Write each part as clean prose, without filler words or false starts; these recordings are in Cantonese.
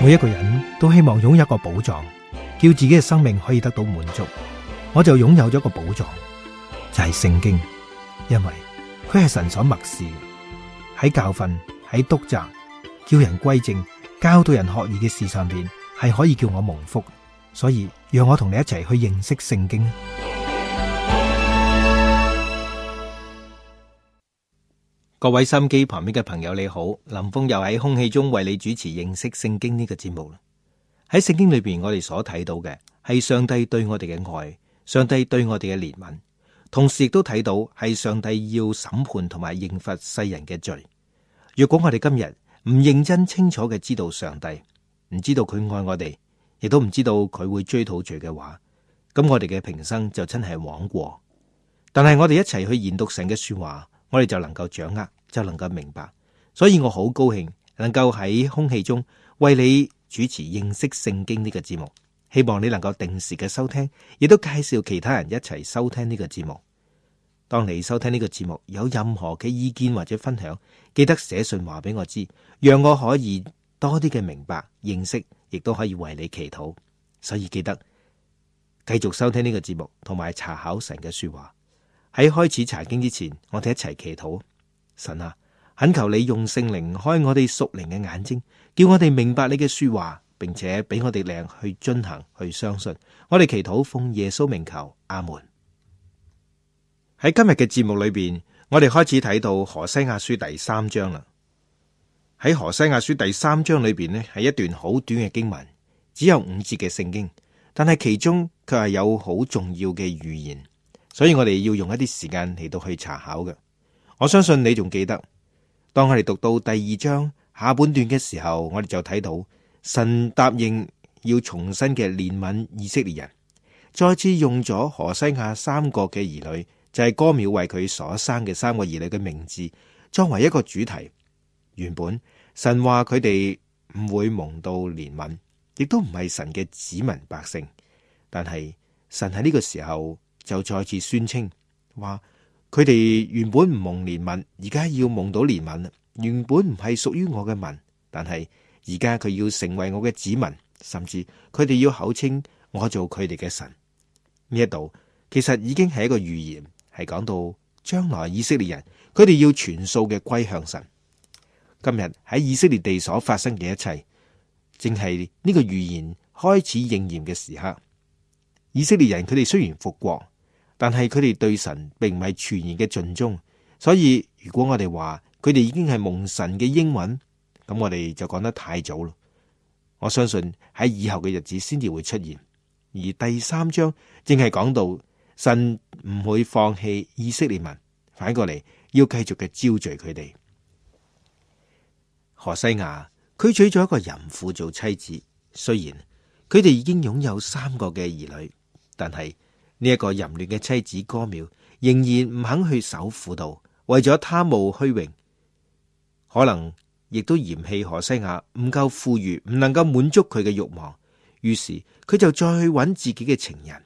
每一個人都希望擁有一個寶藏，叫自己嘅生命可以得到滿足。我就擁有咗一個寶藏，就係聖經，因為佢係神所默示，喺教訓、喺督責、叫人歸正、教導人學義嘅事上邊，係可以叫我蒙福。所以讓我同你一齊去認識聖經。各位收音機旁邊嘅朋友你好，林峰又喺空氣中為你主持認識聖經呢個節目啦。喺聖經裏邊，我哋所睇到嘅係上帝對我哋嘅愛，上帝對我哋嘅憐憫，同時亦都睇到係上帝要審判同埋刑罰世人嘅罪。若果我哋今日唔認真清楚嘅知道上帝，唔知道佢愛我哋，亦都唔知道佢會追討罪嘅話，咁我哋嘅平生就真係枉過。但係我哋一齊去研讀神嘅說話，我哋就能夠掌握，就能夠明白。所以我好高興能夠喺空氣中為你主持認識聖經呢個節目，希望你能夠定時嘅收聽，亦都介紹其他人一齊收聽呢個節目。當你收聽呢個節目有任何嘅意見或者分享，記得寫信話俾我知，讓我可以多啲嘅明白認識，亦都可以為你祈禱。所以記得繼續收聽呢個節目，同埋查考神嘅說話。喺開始查經之前，我哋一齊祈禱。神啊，懇求你用聖靈開我哋屬靈嘅眼睛，叫我哋明白你嘅說話，並且俾我哋力去遵行，去相信。我哋祈禱奉耶穌名求，阿門。喺今日嘅節目裏邊，我哋開始睇到何西阿書第3章啦。喺何西阿書第3章裏邊呢，係一段好短嘅經文，只有5節嘅聖經，但係其中卻係有好重要嘅預言。所以我哋要用一啲時間嚟到去查考嘅。我相信你仲記得，當我哋讀到第2章下半段嘅時候，我哋就睇到神答應要重新嘅憐憫以色列人，再次用咗何西阿3個嘅兒女，就係歌繆為佢所生嘅3個兒女嘅名字，作為一個主題。原本神話佢哋唔會蒙到憐憫，亦都唔係神嘅子民百姓，但係神喺呢個時候就再次宣稱話，佢哋原本唔蒙憐憫，而家要蒙到憐憫。原本唔係屬於我嘅民，但係而家佢要成為我嘅子民，甚至佢哋要口稱我做佢哋嘅神。呢一度其實已經係一個預言，係講到將來以色列人佢哋要全數嘅歸向神。今日喺以色列地所發生嘅一切，正係呢個預言開始應驗嘅時刻。以色列人佢哋雖然復國，但係佢哋對神並唔係全然嘅盡忠。所以如果我哋話佢哋已經係蒙神嘅應允，咁我哋就講得太早咯。我相信喺以後嘅日子先至會出現。而第3章正係講到神唔會放棄以色列民，反過嚟要繼續嘅招聚佢哋。何西阿佢娶咗一個淫婦做妻子，雖然佢哋已經擁有3個嘅兒女，但係呢一個淫亂嘅妻子歌繆仍然唔肯去守婦道，為咗貪慕虛榮，可能亦都嫌棄何西阿唔夠富裕，唔能夠滿足佢嘅慾望，於是佢就再去揾自己嘅情人。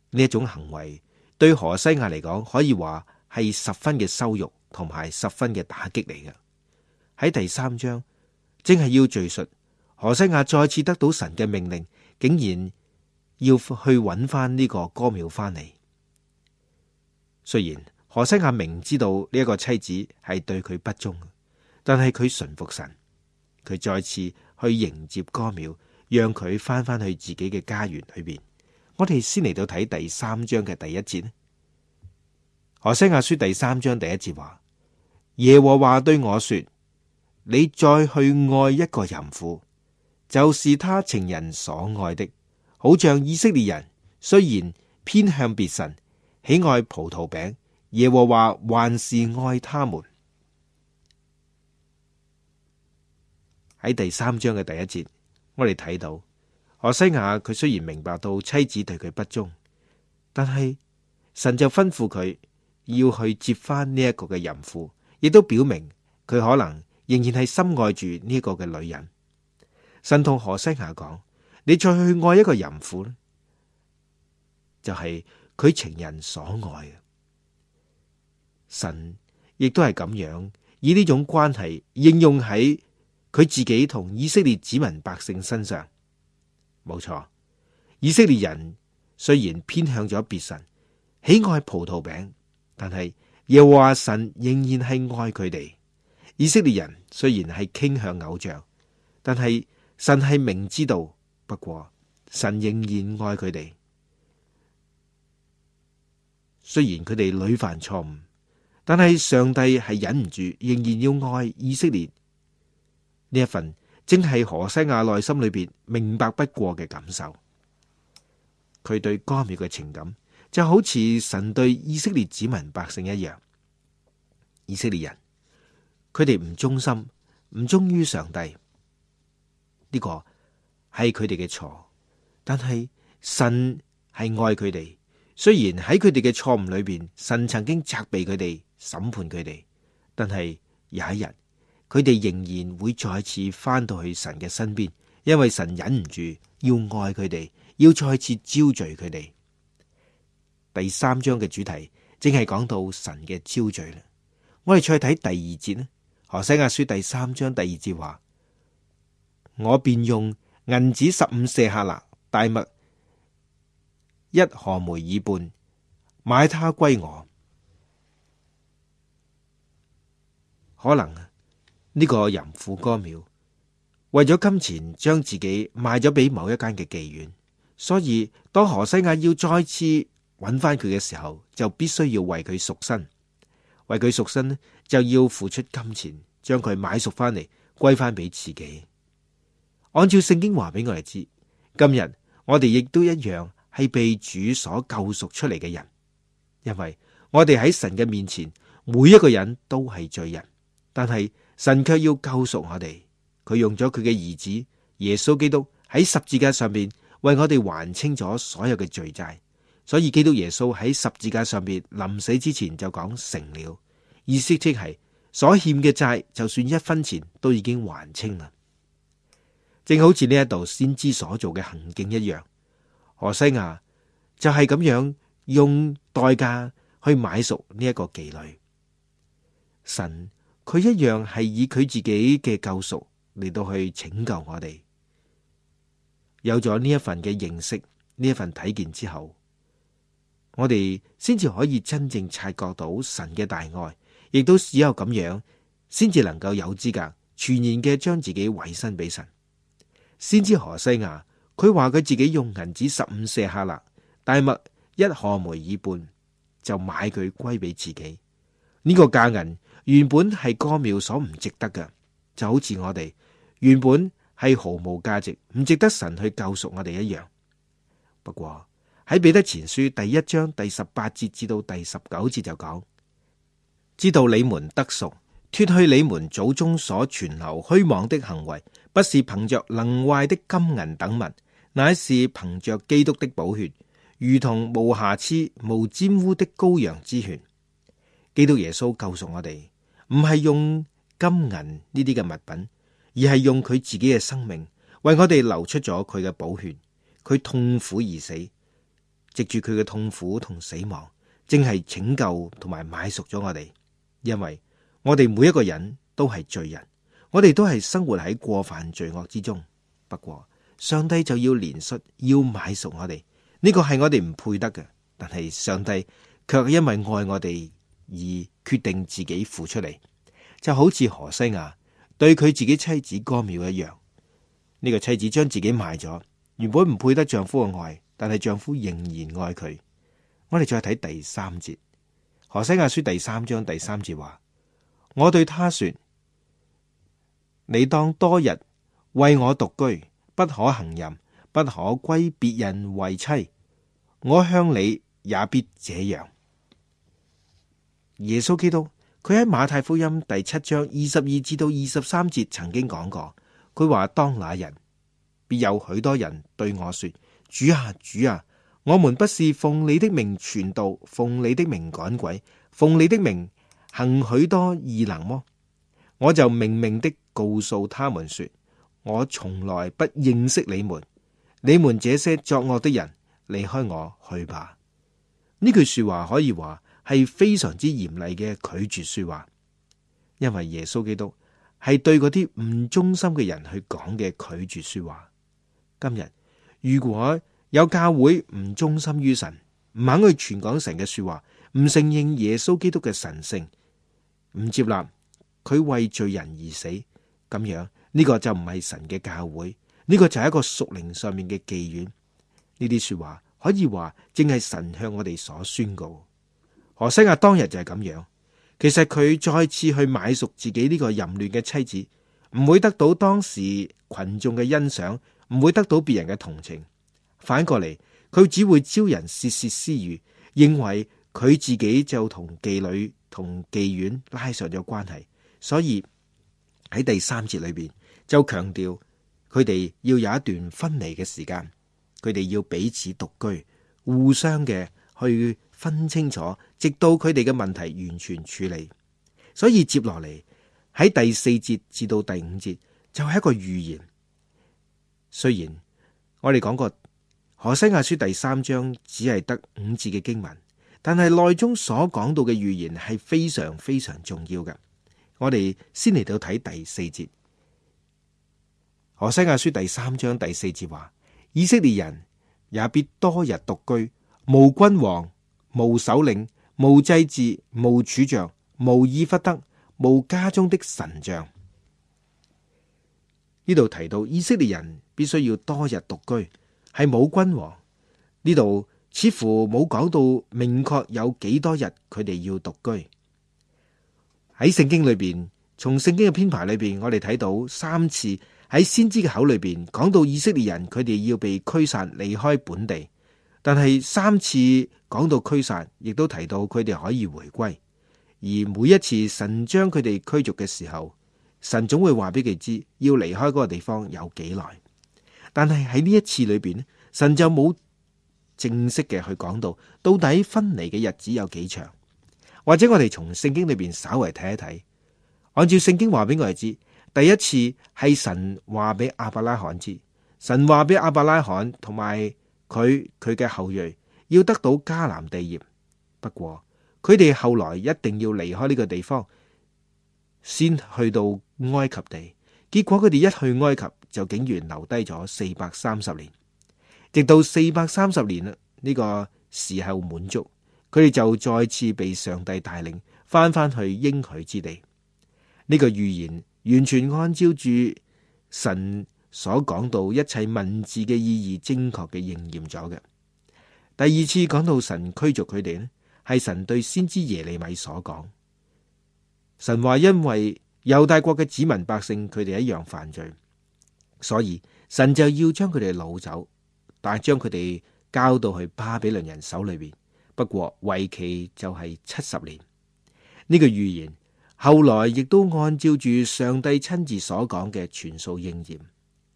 呢一種行為對何西阿嚟講，可以話係十分嘅羞辱，同埋十分嘅打擊嚟嘅。喺第3章正係要敘述何西阿再次得到神嘅命令，竟然要去揾翻呢個歌繆翻嚟。雖然何西阿明知道呢一個妻子係對佢不忠，但係佢順服神，佢再次去迎接歌繆，讓佢翻返去自己嘅家園裏邊。我哋先嚟到睇第3章嘅第1節。何西阿書第3章第1節話：耶和華對我說，你再去愛一個淫婦，就是他情人所愛的，好像以色列人雖然偏向別神，喜愛葡萄餅，耶和華還是愛他們。喺第3章嘅第1節，我哋睇到何西阿佢雖然明白到妻子對佢不忠，但係神就吩咐佢要去接翻呢一個嘅淫婦，亦都表明佢可能仍然係深愛住呢一個嘅女人。神同何西阿講：你再去愛一個淫婦咧，就係佢情人所愛嘅。神亦都係咁樣以呢種關係應用喺佢自己同以色列子民百姓身上。冇錯，以色列人雖然偏向咗別神，喜愛葡萄餅，但係耶和華神仍然係愛佢哋。以色列人雖然係傾向偶像，但係神係明知道，不過神仍然愛佢哋。雖然佢哋屢犯錯誤，但係上帝係忍唔住，仍然要愛以色列。呢一份正係何西阿內心裏邊明白不過嘅感受。佢對歌繆嘅情感就好似神對以色列子民百姓一樣。以色列人，佢哋唔忠心，唔忠於上帝，呢個係佢哋嘅錯。但係神係愛佢哋，雖然喺佢哋嘅錯誤裏邊，神曾經責備佢哋、審判佢哋，但係有一日，佢哋仍然會再次翻到去神嘅身邊，因為神忍唔住要愛佢哋，要再次招聚佢哋。第三章嘅主題正係講到神嘅招聚啦。我哋再睇第二節啦。何西阿書第三章第二節話：我便用銀子15舍客勒，大麥1何梅爾半，買他歸我。可能呢個淫婦歌繆為咗金錢將自己賣咗俾某一間嘅妓院，所以當何西阿要再次揾翻佢嘅時候，就必須要為佢贖身。為佢贖身呢，就要付出金錢，將佢買贖翻嚟，歸翻俾自己。按照聖經話俾我哋知，今日我哋亦都一樣係被主所救贖出嚟嘅人，因為我哋喺神嘅面前，每一個人都係罪人，但係神卻要救贖我哋。佢用咗佢嘅兒子耶穌基督喺十字架上面為我哋還清咗所有嘅罪債。所以基督耶穌喺十字架上邊臨死之前就講成了，意思即係所欠嘅債就算1分錢都已經還清啦。正好似呢一度先知所做嘅行徑一樣，何西阿就係咁樣用代價去買贖呢一個妓女。神佢一樣係以佢自己嘅救贖嚟到去拯救我哋。有咗呢一份嘅認識，呢一份體見之後，我哋先至可以真正察覺到神嘅大愛，亦都只有咁樣，先至能夠有資格全然嘅將自己委身俾神。先知何西阿，佢話佢自己用銀子15舍客勒，大麥1何梅爾半，就買佢歸俾自己。呢個價銀原本係歌繆所唔值得嘅，就好似我哋原本係毫無價值，唔值得神去救贖我哋一樣。不過喺彼得前書第1章第18節至到第19節就講：知道你們得贖，脫去你們祖宗所存留虛妄的行為，不是憑着能壞的金銀等物，乃是憑着基督的寶血，如同無瑕疵、無沾污的羔羊之血。基督耶穌救贖我哋，唔係用金銀呢啲嘅物品，而係用佢自己嘅生命為我哋流出咗佢嘅寶血。佢痛苦而死，藉住佢嘅痛苦同死亡，正係拯救同埋買贖咗我哋。因為我哋每一個人都係罪人，我哋都係生活喺過犯罪惡之中。不過上帝就要憐恤，要買贖我哋。呢個係我哋唔配得嘅，但係上帝卻因為愛我哋而決定自己付出嚟，就好似何西阿對佢自己妻子歌繆一樣。呢個妻子將自己賣咗，原本唔配得丈夫嘅愛，但係丈夫仍然愛佢。我哋再睇第3節，何西阿書第3章第3節話：我對他說，你當多日為我獨居，不可行淫，不可歸別人為妻。我向你也必這樣。耶穌基督佢喺馬太福音第7章22至到23節曾經講過，佢話：當那人，必有許多人對我說：主啊，主啊，我們不是奉你的名傳道，奉你的名趕鬼，奉你的名行許多異能麼？我就明明的告訴他們說：我從來不認識你們，你們這些作惡的人，離開我去吧。呢句說話可以話係非常之嚴厲嘅拒絕說話，因為耶穌基督係對嗰啲唔忠心嘅人去講嘅拒絕說話。今日如果有教會唔忠心於神，唔肯去傳講神嘅說話，唔承認耶穌基督嘅神聖，唔接納佢為罪人而死，咁樣呢個就唔係神嘅教會，呢個就係一個屬靈上面嘅妓院。呢啲說話可以話正係神向我哋所宣告。何西阿當日就係咁樣，其實佢再次去買贖自己呢個淫亂嘅妻子，唔會得到當時群眾嘅欣賞，唔會得到別人嘅同情，反過嚟佢只會招人竊竊私語，認為佢自己就同妓女同妓院拉上咗關係。所以喺第3節裏邊就強調佢哋要有一段分離嘅時間，佢哋要彼此獨居，互相嘅去分清楚，直到佢哋嘅問題完全處理。所以接落嚟喺第4節至到第5節就係一個預言。雖然我哋講過何西阿書第3章只係得5節嘅經文，但係內中所講到嘅預言係非常非常重要嘅。我哋先嚟到睇第4節。何西阿書第3章第4節話：以色列人也必多日獨居，無君王，無首領，無祭司，無柱像，無以弗得，無家中的神像。呢度提到以色列人必須要多日獨居，係冇君王。呢度似乎冇講到明確有幾多日佢哋要獨居。喺聖經裏邊，從聖經嘅編排裏邊，我哋睇到3次喺先知嘅口裏邊講到以色列人佢哋要被驅散離開本地，但係3次講到驅散，亦都提到佢哋可以回歸。而每一次神將佢哋驅逐嘅時候，神總會話俾佢知要離開嗰個地方有幾耐。但係喺呢一次裏邊，神就冇正式嘅去講到底分離嘅日子有幾長。或者我哋從聖經裏邊稍微睇一睇，按照聖經話俾我哋知，第一次係神話俾亞伯拉罕知，神話俾亞伯拉罕同埋佢嘅後裔要得到迦南地業。不過佢哋後來一定要離開呢個地方，先去到埃及地。結果佢哋一去埃及就竟然留低咗430年，直到430年呢個時候滿足，佢哋就再次被上帝帶領翻去應許之地。呢個預言完全按照住神所講到一切文字嘅意義精確嘅應驗咗嘅。第2次講到神驅逐佢哋呢，係神對先知耶利米所講。神話因為猶大國嘅子民百姓佢哋一樣犯罪，所以神就要將佢哋擄走，但係將佢哋交到去巴比倫人手裏邊。不過為期就係70年。呢個預言後來亦都按照住上帝親自所講嘅全數應驗。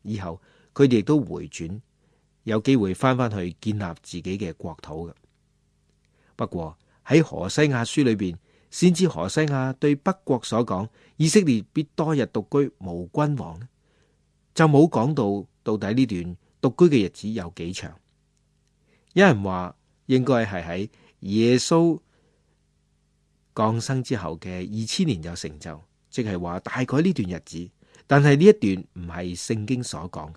以後佢哋亦都回轉，有機會翻去建立自己嘅國土嘅。不過喺何西阿書裏邊，先知何西阿對北國所講以色列必多日獨居無君王，就冇講到底呢段獨居嘅日子有幾長。有人話應該係喺耶穌降生之後嘅2000年有成就，即係話大概呢段日子。但係呢一段唔係聖經所講嘅，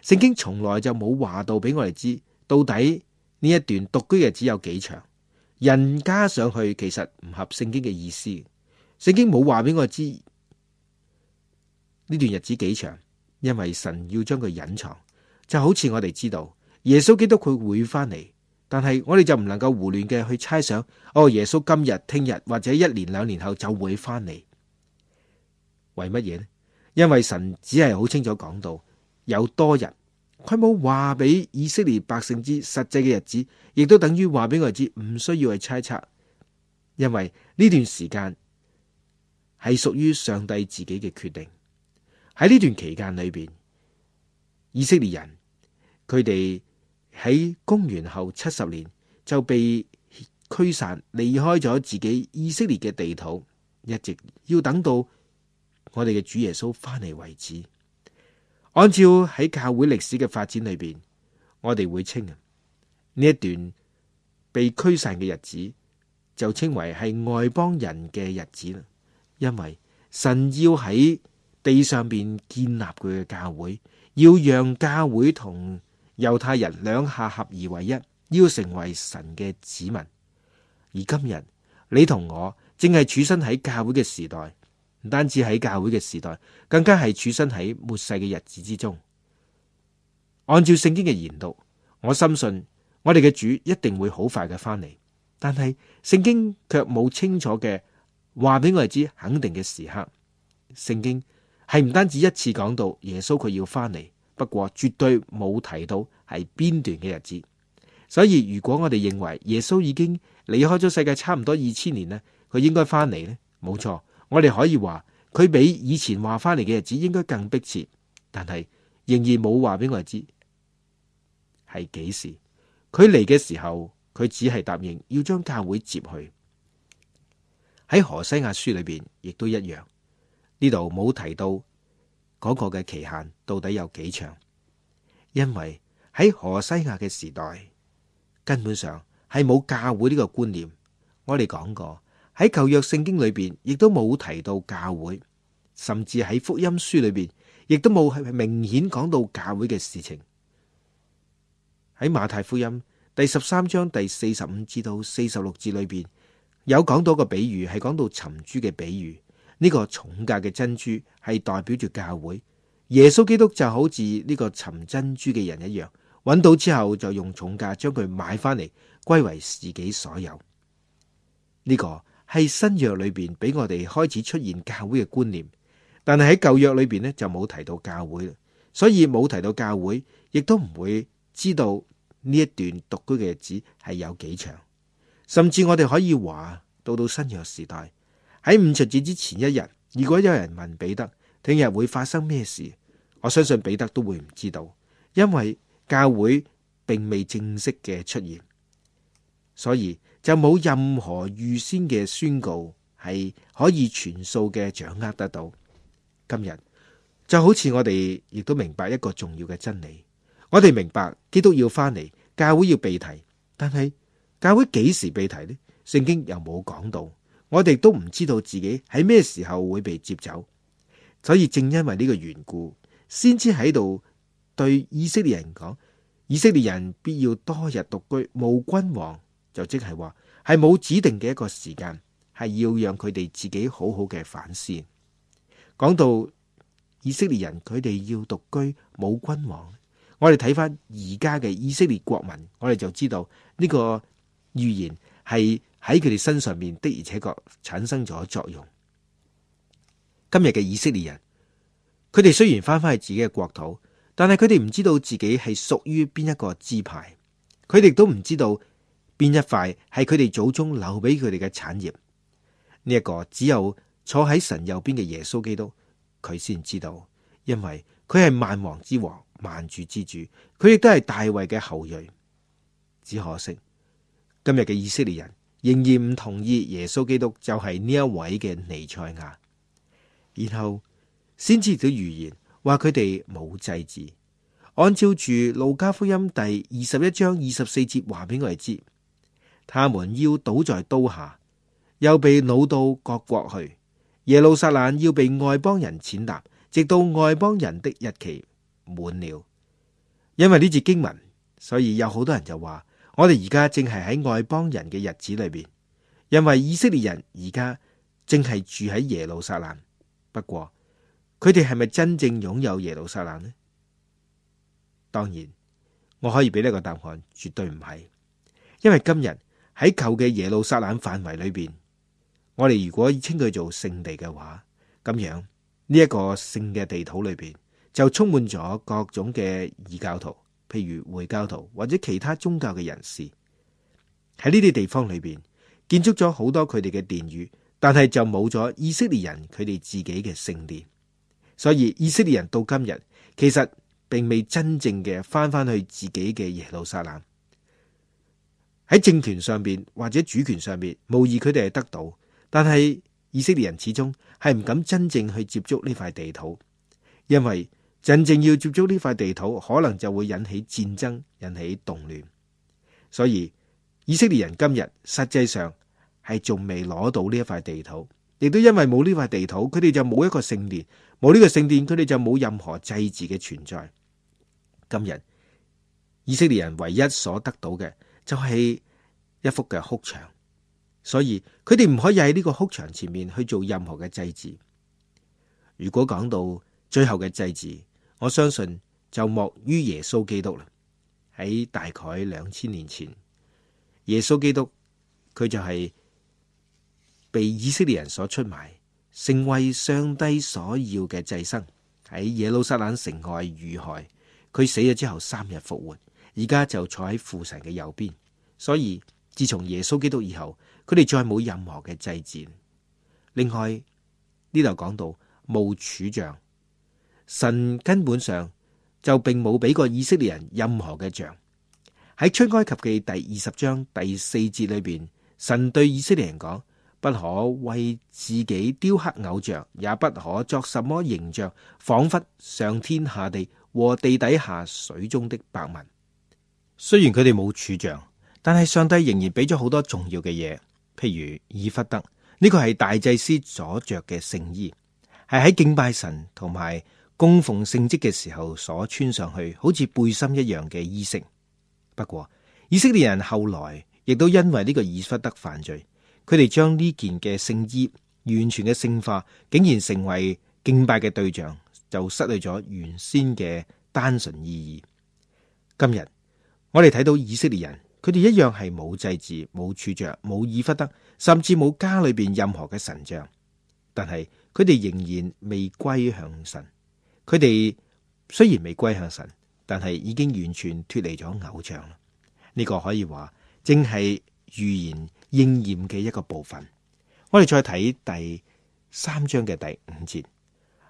聖經從來就冇話到俾我哋知到底呢一段獨居日子有幾長。人加上去其實唔合聖經嘅意思，聖經冇話俾我哋知呢段日子幾長，因為神要將佢隱藏。就好似我哋知道耶穌基督佢會翻嚟，但係我哋就唔能夠胡亂嘅去猜想，耶穌今日、聽日或者1年2年後就會翻嚟。為乜嘢呢？因為神只係好清楚講到有多日，佢冇話俾以色列百姓知實際嘅日子，亦都等於話俾我哋知唔需要去猜測，因為呢段時間係屬於上帝自己嘅決定。喺呢段期間裏邊，以色列人佢哋喺公元後70年就被驅散，離開咗自己以色列嘅地土，一直要等到我哋嘅主耶穌翻嚟為止。按照喺教會歷史嘅發展裏邊，我哋會稱呢一段被驅散嘅日子就稱為係外邦人嘅日子啦。因為神要喺地上邊建立佢嘅教會，要讓教會同猶太人兩下合而為一，要成為神嘅子民。而今日你同我正係處身喺教會嘅時代，唔單止喺教會嘅時代，更加係處身喺末世嘅日子之中。按照聖經嘅研讀，我深信我哋嘅主一定會好快嘅翻嚟，但係聖經卻冇清楚嘅話俾我哋知肯定嘅時刻。聖經係唔單止一次講到耶穌佢要翻嚟，不過絕對冇提到係邊段嘅日子。所以如果我哋認為耶穌已經離開咗世界差唔多2000年呢，佢應該翻嚟呢？冇錯，我哋可以話佢比以前話翻嚟嘅日子應該更迫切，但係仍然冇話俾我哋知係幾時。佢嚟嘅時候，佢只係答應要將教會接去。喺何西阿書裏邊亦都一樣，呢度冇提到嗰個嘅期限到底有幾長，因為喺何西阿嘅時代根本上係冇教會呢個觀念。我哋講過喺舊約聖經裏邊亦都冇提到教會，甚至喺福音書裏邊亦都冇係明顯講到教會嘅事情。喺馬太福音第13章第45至到46節裏邊有講到個比喻，係講到尋珠嘅比喻。呢個重價嘅珍珠係代表住教會，耶穌基督就好似呢個尋珍珠嘅人一樣，揾到之後就用重價將佢買翻嚟，歸為自己所有。呢個係新約裏邊俾我哋開始出現教會嘅觀念，但係喺舊約裏邊呢就冇提到教會，所以冇提到教會，亦都唔會知道呢一段獨居嘅日子係有幾長。甚至我哋可以話到新約時代喺五旬節之前一日，如果有人問彼得聽日會發生咩事，我相信彼得都會唔知道，因為教會並未正式嘅出現，所以就冇任何預先嘅宣告係可以全數嘅掌握得到。今日就好似我哋亦都明白一個重要嘅真理，我哋明白基督要翻嚟，教會要被提，但係教會幾時被提呢？聖經又冇講到，我哋都唔知道自己喺咩時候會被接走。所以正因為呢個緣故，先知喺度對以色列人講，以色列人必要多日獨居，無君王，就即係話係冇指定嘅一個時間，係要讓佢哋自己好好嘅反思。講到以色列人佢哋要獨居冇君王，我哋睇翻而家嘅以色列國民，我哋就知道呢個預言係喺佢哋身上面的而且確產生咗作用。今日嘅以色列人，佢哋雖然翻返去自己嘅國土，但係佢哋唔知道自己係屬於邊一個支派，佢哋都唔知道邊一塊係佢哋祖宗留俾佢哋嘅產業。呢一個只有坐喺神右邊嘅耶穌基督佢先知道，因為佢係萬王之王、萬主之主，佢亦都係大衛嘅後裔。只可惜今日嘅以色列人仍然唔同意耶穌基督就係呢一位嘅彌賽亞。然後先知到預言話佢哋冇祭祀，按照住路加福音第21章24節話俾我哋知，他們要倒在刀下，又被擄到各國去。耶路撒冷要被外邦人踐踏，直到外邦人的日期滿了。因為呢節經文，所以有好多人就話我哋而家正係喺外邦人嘅日子裏邊，因為以色列人而家正係住喺耶路撒冷。不過佢哋係咪真正擁有耶路撒冷呢？當然，我可以俾呢個答案，絕對唔係。因為今日喺舊嘅耶路撒冷範圍裏邊，我哋如果稱佢做聖地嘅話，咁樣呢一個聖嘅地土裏邊就充滿咗各種嘅異教徒，譬如回教徒或者其他宗教嘅人士。喺呢啲地方裏邊建築咗好多佢哋嘅殿宇，但係就冇咗以色列人佢哋自己嘅聖殿。所以以色列人到今日其實並未真正嘅翻去自己嘅耶路撒冷。喺政權上邊或者主權上邊，無疑佢哋係得到，但係以色列人始終係唔敢真正去接觸呢塊地土，因為真正要接觸呢塊地土，可能就會引起戰爭，引起動亂。所以以色列人今日實際上係仲未攞到呢一塊地土，亦都因為冇呢塊地土，佢哋就冇一個聖殿，冇呢個聖殿，佢哋就冇任何祭祀嘅存在。今日以色列人唯一所得到嘅就係一幅嘅哭牆，所以佢哋唔可以喺呢個哭牆前面去做任何嘅祭祀。如果講到最後嘅祭祀，我相信就莫於耶穌基督啦。喺大概2000年前，耶穌基督佢就係被以色列人所出賣，成為上帝所要嘅祭牲，喺耶路撒冷城外遇害。佢死咗之後3日復活，而家就坐喺父神嘅右邊。所以自從耶穌基督以後，佢哋再冇任何嘅祭祀。另外呢度講到無柱像，神根本上就並冇俾過以色列人任何嘅像。喺出埃及記第20章第4節裏邊，神對以色列人講：不可為自己雕刻偶像，也不可作什麼形象，仿佛上天下地和地底下水中的百物。雖然佢哋冇柱像，但係上帝仍然俾咗好多重要嘅嘢，譬如以弗得，呢個係大祭司所着嘅聖衣，係喺敬拜神同埋供奉聖職嘅時候所穿上去，好似背心一樣嘅衣飾。不過以色列人後來亦都因為呢個以弗得犯罪，佢哋將呢件嘅聖衣完全嘅聖化，竟然成為敬拜嘅對象，就失去咗原先嘅單純意義。今日我哋睇到以色列人，佢哋一樣係冇祭祀、冇柱像、冇以弗得，甚至冇家裏邊任何嘅神像，但係佢哋仍然未歸向神。佢哋雖然未歸向神，但係已經完全脫離咗偶像啦。呢個可以話正係預言應驗嘅一個部分。我哋再睇第3章嘅第5節，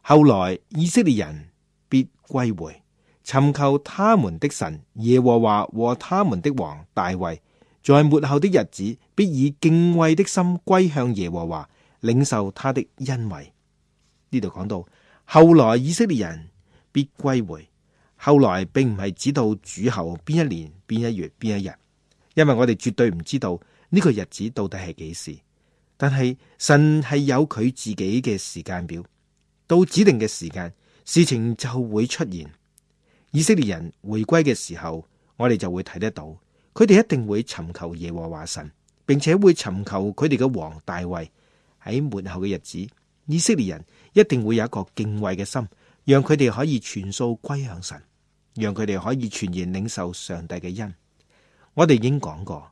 後來以色列人必歸回，尋求他們的神耶和華和他們的王大衛，在末後的日子必以敬畏的心歸向耶和華，領受他的恩惠。呢度講到後來以色列人必歸回，後來並唔係指到主後邊一年、邊一月、邊一日，因為我哋絕對唔知道呢個日子到底係幾時。但係神係有佢自己嘅時間表，到指定嘅時間，事情就會出現。以色列人回歸嘅時候，我哋就會睇得到，佢哋一定會尋求耶和華神，並且會尋求佢哋嘅王大衛。喺末後嘅日子，以色列人一定會有一個敬畏嘅心，讓佢哋可以全數歸向神，讓佢哋可以全然領受上帝嘅恩。我哋已經講過，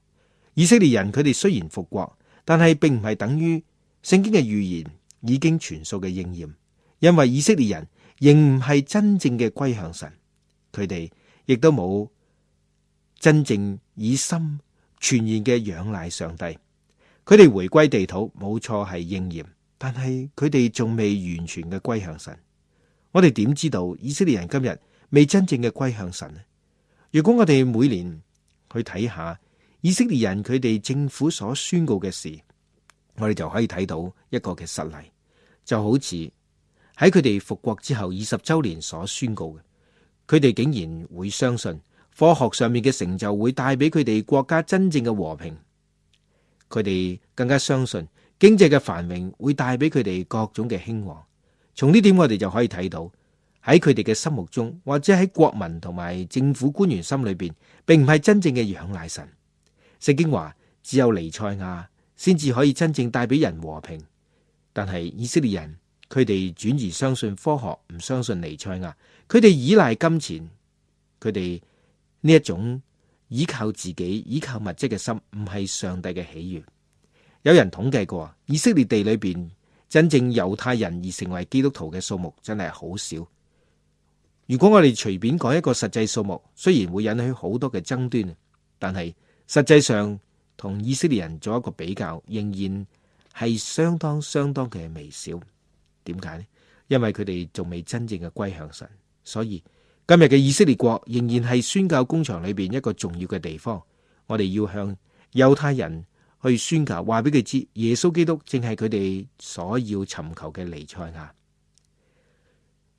以色列人佢哋雖然復國，但係並唔係等於聖經嘅預言已經全數嘅應驗，因為以色列人仍唔係真正嘅歸向神，佢哋亦都冇真正以心全然嘅仰賴上帝。佢哋回歸地土冇錯係應驗，但係佢哋仲未完全嘅歸向神。我哋點知道以色列人今日未真正嘅歸向神呢？如果我哋每年去睇下以色列人佢哋政府所宣告嘅事，我哋就可以睇到一個嘅實例，就好似喺佢哋復國之後20周年所宣告嘅，佢哋竟然會相信科學上面嘅成就會帶俾佢哋國家真正嘅和平，佢哋更加相信經濟嘅繁榮會帶俾佢哋各種嘅興旺。從呢點我哋就可以睇到，喺佢哋嘅心目中，或者喺國民同埋政府官員心裏邊，並唔係真正嘅仰賴神。聖經話只有彌賽亞先至可以真正帶俾人和平，但係以色列人佢哋轉而相信科學，唔相信彌賽亞。佢哋依賴金錢，佢哋呢一種依靠自己、依靠物質嘅心，唔係上帝嘅喜悅。有人統計過，以色列地裏邊真正猶太人而成為基督徒嘅數目真係好少。如果我哋隨便講一個實際數目，雖然會引起好多嘅爭端，但係實際上同以色列人做一個比較，仍然係相當嘅微小。點解呢？因為佢哋仲未真正嘅歸向神，所以今日嘅以色列國仍然係宣教工場裏邊一個重要嘅地方。我哋要向猶太人去宣教，話俾佢知耶穌基督正係佢哋所要尋求嘅彌賽亞。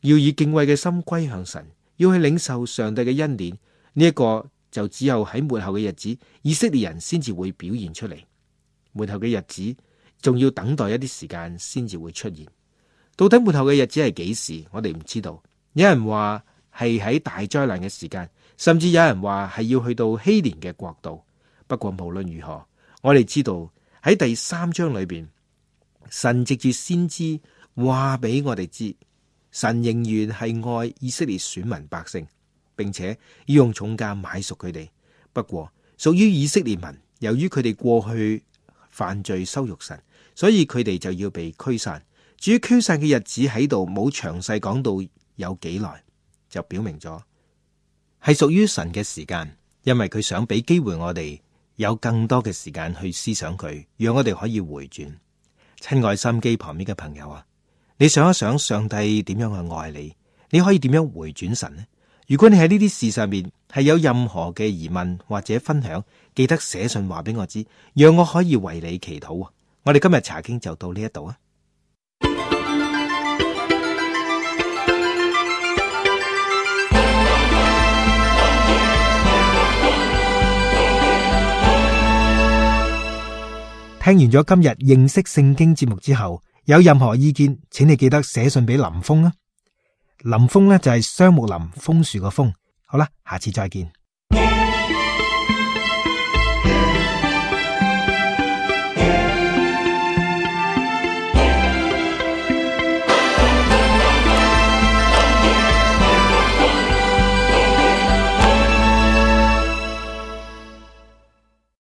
要以敬畏嘅心歸向神，要去領受上帝嘅恩典。呢一個就只有喺末後嘅日子，以色列人先至會表現出嚟。末後嘅日子，仲要等待一啲時間先至會出現。到底末後嘅日子係幾時，我哋唔知道。有人話係喺大災難嘅時間，甚至有人話係要去到希年嘅國度。不過無論如何，我哋知道喺第3章裏邊，神藉住先知話俾我哋知，神仍然係愛以色列選民百姓，並且要用重價買贖佢哋。不過屬於以色列民，由於佢哋過去犯罪羞辱神，所以佢哋就要被驅散。至於驅散嘅日子喺度冇詳細講到有幾耐，就表明咗係屬於神嘅時間，因為佢想俾機會我哋有更多嘅時間去思想佢，讓我哋可以回轉。親愛心機旁邊嘅朋友啊，你想一想上帝點樣去愛你，你可以點樣回轉神呢？如果你喺呢啲事上面係有任何嘅疑問或者分享，記得寫信話俾我知，讓我可以為你祈禱啊！我哋今日查經就到呢一度啊！聽完咗今日認識聖經節目之後，有任何意見，請你記得寫信俾林峰啊！林峰呢就係雙木林楓樹個楓。好啦，下次再見。